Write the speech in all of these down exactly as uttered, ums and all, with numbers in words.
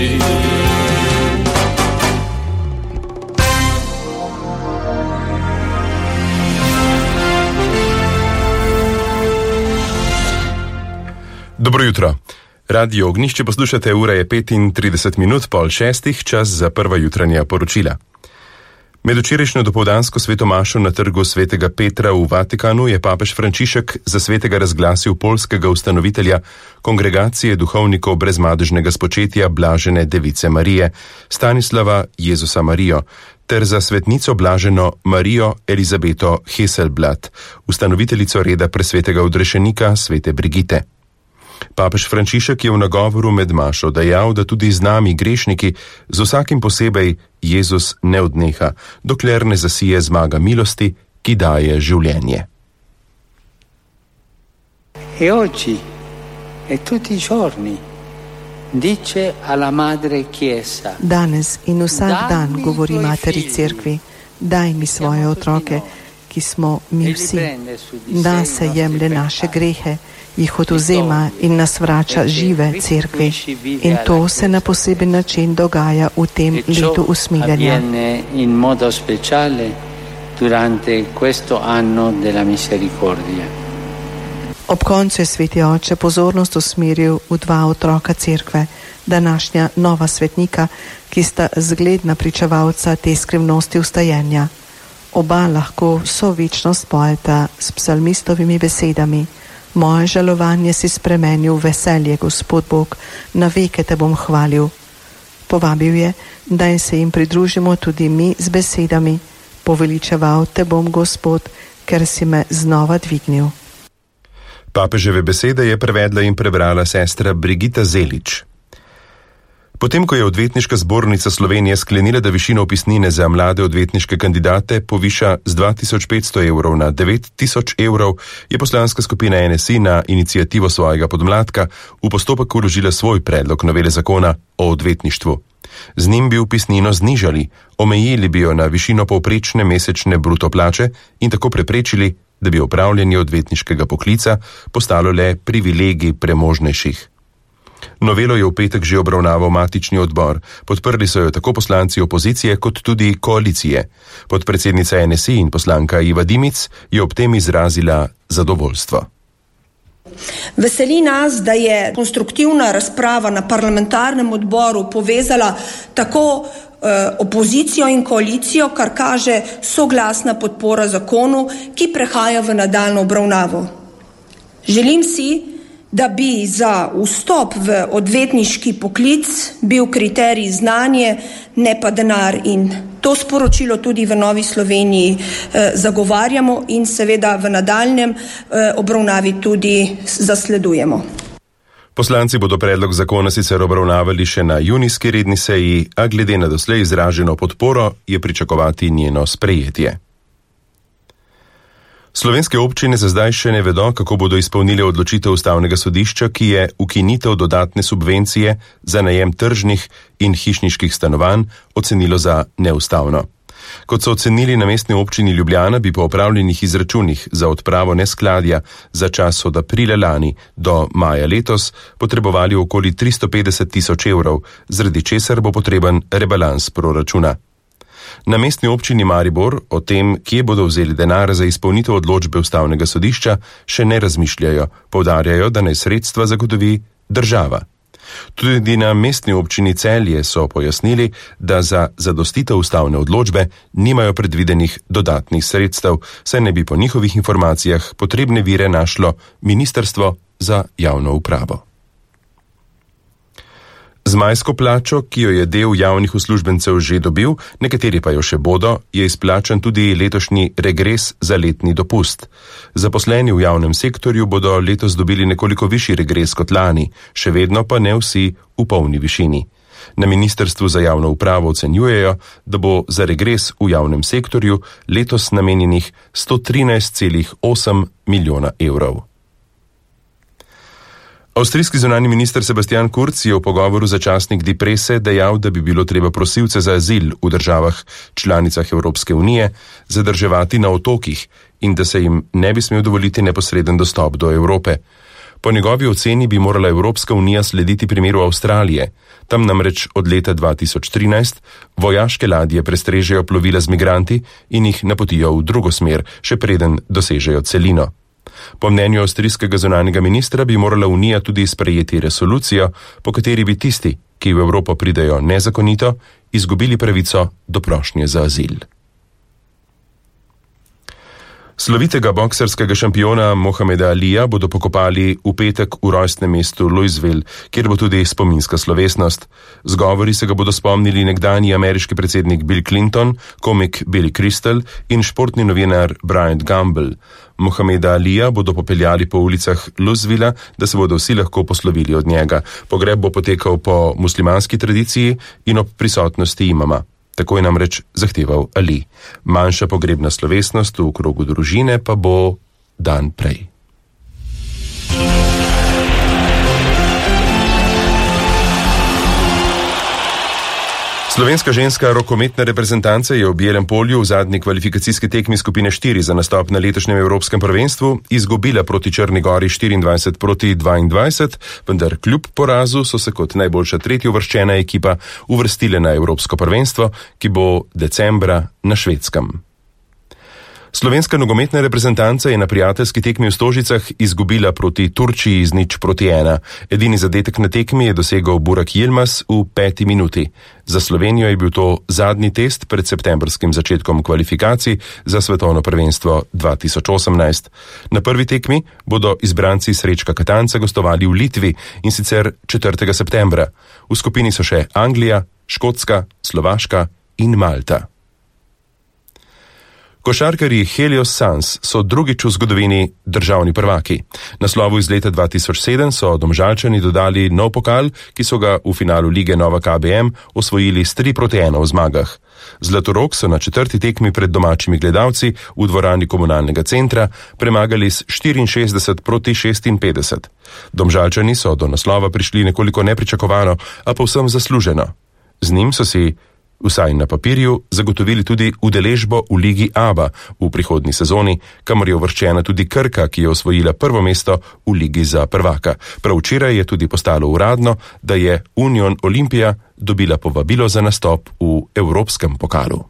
amici. Dobro jutro. Radio Ognjišče poslušate, ura je petintrideset minut, pol šestih, čas za prva jutranja poročila. Med včerajšnjo dopoldansko svetomašo na trgu svetega Petra v Vatikanu je papež Frančišek za svetega razglasil poljskega ustanovitelja Kongregacije duhovnikov brezmadežnega spočetja Blažene Device Marije, Stanislava Jezusa Marijo, ter za svetnico blaženo Marijo Elizabeto Heselblad, ustanoviteljico reda presvetega odrešenika svete Brigite. Papež Frančišek je v nagovoru med mašo dejal, da tudi z nami grešniki z vsakim posebej Jezus ne odneha, dokler ne zasije zmaga milosti, ki daje življenje. E oggi e tutti i giorni dice alla madre Chiesa. Danes in vsak dan govori materi cerkvi, daj mi svoje otroke, ki smo mi vsi. Da se jemlje naše grehe, jih odvzema in nas vrača žive cerkvi. In to se na poseben način dogaja v tem letu usmiljenja. In modo speciale durante questo anno della misericordia. Ob koncu je sveti oče pozornost usmeril v dva otroka cerkve, današnja nova svetnika, ki sta zgledna pričevalca te skrivnosti vstajenja. Oba lahko so večno spojeta s psalmistovimi besedami. Moje žalovanje si spremenil v veselje, Gospod Bog, na veke te bom hvalil. Povabil je, da se jim pridružimo tudi mi z besedami. Poveličeval te bom, Gospod, ker si me znova dvignil. Papeževe besede je prevedla in prebrala sestra Brigita Zelič. Potem, ko je Odvetniška zbornica Slovenije sklenila, da višino vpisnine za mlade odvetniške kandidate poviša z dva tisoč petsto evrov na devet tisoč evrov, je poslanska skupina N S I na inicijativo svojega podmladka v postopek vložila svoj predlog novele zakona o odvetništvu. Z njim bi vpisnino znižali, omejili bi jo na višino povprečne mesečne bruto plače in tako preprečili, da bi opravljanje odvetniškega poklica postalo le privilegij premožnejših. Novelo je v petek že obravnaval matični odbor. Podprli so jo tako poslanci opozicije kot tudi koalicije. Podpredsednica N S I in poslanka Iva Dimic je ob tem izrazila zadovoljstvo. Veseli nas, da je konstruktivna razprava na parlamentarnem odboru povezala tako eh, opozicijo in koalicijo, kar kaže soglasna podpora zakonu, ki prehaja v nadaljnjo obravnavo. Želim si, da bi za vstop v odvetniški poklic bil kriterij znanje, ne pa denar, in to sporočilo tudi v Novi Sloveniji eh, zagovarjamo in seveda v nadaljnjem eh, obravnavi tudi zasledujemo. Poslanci bodo predlog zakona sicer obravnavali še na junijski redni seji, a glede na doslej izraženo podporo je pričakovati njeno sprejetje. Slovenske občine za zdaj še ne vedo, kako bodo izpolnile odločitev Ustavnega sodišča, ki je ukinitev dodatne subvencije za najem tržnih in hišniških stanovanj ocenilo za neustavno. Kot so ocenili na Mestni občini Ljubljana, bi po opravljenih izračunih za odpravo neskladja za čas od aprila lani do maja letos potrebovali okoli tristo petdeset tisoč evrov, zaradi česar bo potreben rebalans proračuna. Na Mestni občini Maribor o tem, kje bodo vzeli denar za izpolnitev odločbe Ustavnega sodišča, še ne razmišljajo, poudarjajo, da naj sredstva zagotovi država. Tudi na Mestni občini Celje so pojasnili, da za zadostitev ustavne odločbe nimajo predvidenih dodatnih sredstev, saj ne bi po njihovih informacijah potrebne vire našlo Ministrstvo za javno upravo. Z majsko plačo, ki jo je del javnih uslužbencev že dobil, nekateri pa jo še bodo, je izplačan tudi letošnji regres za letni dopust. Zaposleni v javnem sektorju bodo letos dobili nekoliko višji regres kot lani, še vedno pa ne vsi v polni višini. Na Ministrstvu za javno upravo ocenjujejo, da bo za regres v javnem sektorju letos namenjenih sto trinajst celih osem milijona evrov. Avstrijski zunanji minister Sebastian Kurz je v pogovoru za časnik Die Presse dejal, da bi bilo treba prosilce za azil v državah članicah Evropske unije zadrževati na otokih in da se jim ne bi smel dovoliti neposreden dostop do Evrope. Po njegovi oceni bi morala Evropska unija slediti primeru Avstralije. Tam namreč od leta dva tisoč trinajst vojaške ladje prestrežejo plovila z migranti in jih napotijo v drugo smer, še preden dosežejo celino. Po mnenju avstrijskega zunanjega ministra bi morala Unija tudi sprejeti resolucijo, po kateri bi tisti, ki v Evropo pridejo nezakonito, izgubili pravico do prošnje za azil. Slovitega boksarskega šampiona Mohameda Alija bodo pokopali v petek v rojstnem mestu Louisville, kjer bo tudi spominska slovesnost. Z govori se ga bodo spomnili nekdanji ameriški predsednik Bill Clinton, komik Billy Crystal in športni novinar Bryant Gumbel. Mohameda Alija bodo popeljali po ulicah Louisvilla, da se bodo vsi lahko poslovili od njega. Pogreb bo potekal po muslimanski tradiciji in ob prisotnosti imama. Tako je namreč zahteval Ali. Manjša pogrebna slovesnost v krogu družine pa bo dan prej. Slovenska ženska rokometna reprezentanca je v Bielem polju v zadnji kvalifikacijski tekmi skupine štiri za nastop na letošnjem evropskem prvenstvu izgubila proti Črni Gori štiriindvajset proti dvaindvajset, vendar kljub porazu so se kot najboljša tretjeuvrščena ekipa uvrstile na evropsko prvenstvo, ki bo decembra na Švedskem. Slovenska nogometna reprezentanca je na prijateljski tekmi v Stožicah izgubila proti Turčiji z nič proti ena. Edini zadetek na tekmi je dosegel Burak Yilmaz v peti minuti. Za Slovenijo je bil to zadnji test pred septembrskim začetkom kvalifikacij za svetovno prvenstvo dva tisoč osemnajst. Na prvi tekmi bodo izbranci Srečka Katanca gostovali v Litvi in sicer četrtega septembra. V skupini so še Anglija, Škotska, Slovaška in Malta. Košarkarji Helios Suns so drugič v zgodovini državni prvaki. Naslovu iz leta dva tisoč sedem so Domžalčani dodali nov pokal, ki so ga v finalu lige Nova K B M osvojili s tri proti ena v zmagah. Zlatorog so na četrti tekmi pred domačimi gledalci v dvorani komunalnega centra premagali s štiriinšestdeset proti šestinpetdeset. Domžalčani so do naslova prišli nekoliko nepričakovano, a povsem zasluženo. Z njim so si vsaj na papirju zagotovili tudi udeležbo v ligi ABA v prihodnji sezoni, kamor je uvrščena tudi Krka, ki je osvojila prvo mesto v ligi za prvaka. Prav včeraj je tudi postalo uradno, da je Union Olimpija dobila povabilo za nastop v evropskem pokalu.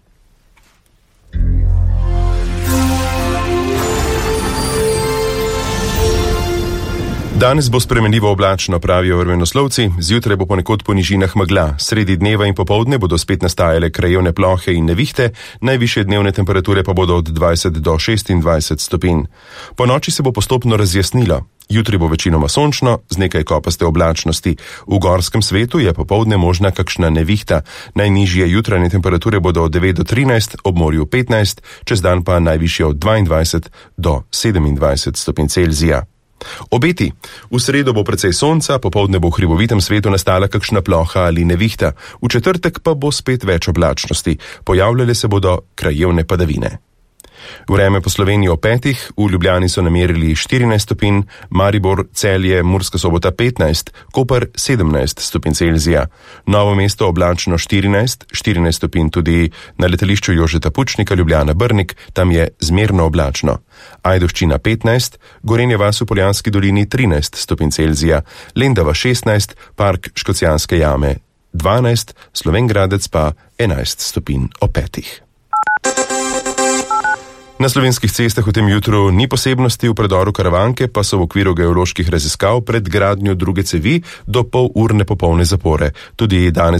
Danes bo spremenljivo oblačno, pravijo vremenoslovci, zjutraj bo ponekod po nižinah megla, sredi dneva in popoldne bodo spet nastajale krajevne plohe in nevihte, najvišje dnevne temperature pa bodo od dvajset do šestindvajset stopinj. Po noči se bo postopno razjasnilo. Jutri bo večinoma sončno, z nekaj kopaste oblačnosti. V gorskem svetu je popoldne možna kakšna nevihta. Najnižje jutranje temperature bodo od devet do trinajst, ob morju petnajst, čez dan pa najvišje od dvaindvajset do sedemindvajset stopinj Celzija. Obeti. V sredo bo precej sonca, popoldne bo v hribovitem svetu nastala kakšna ploha ali nevihta. V četrtek pa bo spet več oblačnosti. Pojavljale se bodo krajevne padavine. Vreme po Sloveniji o petih, v Ljubljani so namerili štirinajst stopinj, Maribor, Celje, Murska Sobota petnajst, Koper sedemnajst stopinj Celzija. Novo mesto oblačno štirinajst, štirinajst stopinj tudi na letališču Jožeta Pučnika, Ljubljana Brnik, tam je zmerno oblačno. Ajdovščina petnajst, Gorenja vas v Poljanski dolini trinajst stopinj Celzija, Lendava šestnajst, Park Škocjanske jame dvanajst, Slovenj Gradec pa enajst stopinj o petih. Na slovenskih cestah v tem jutru ni posebnosti, v predoru Karavanke pa so v okviru geoloških raziskav pred gradnjo druge cevi do pol urne popolne zapore. Tudi danes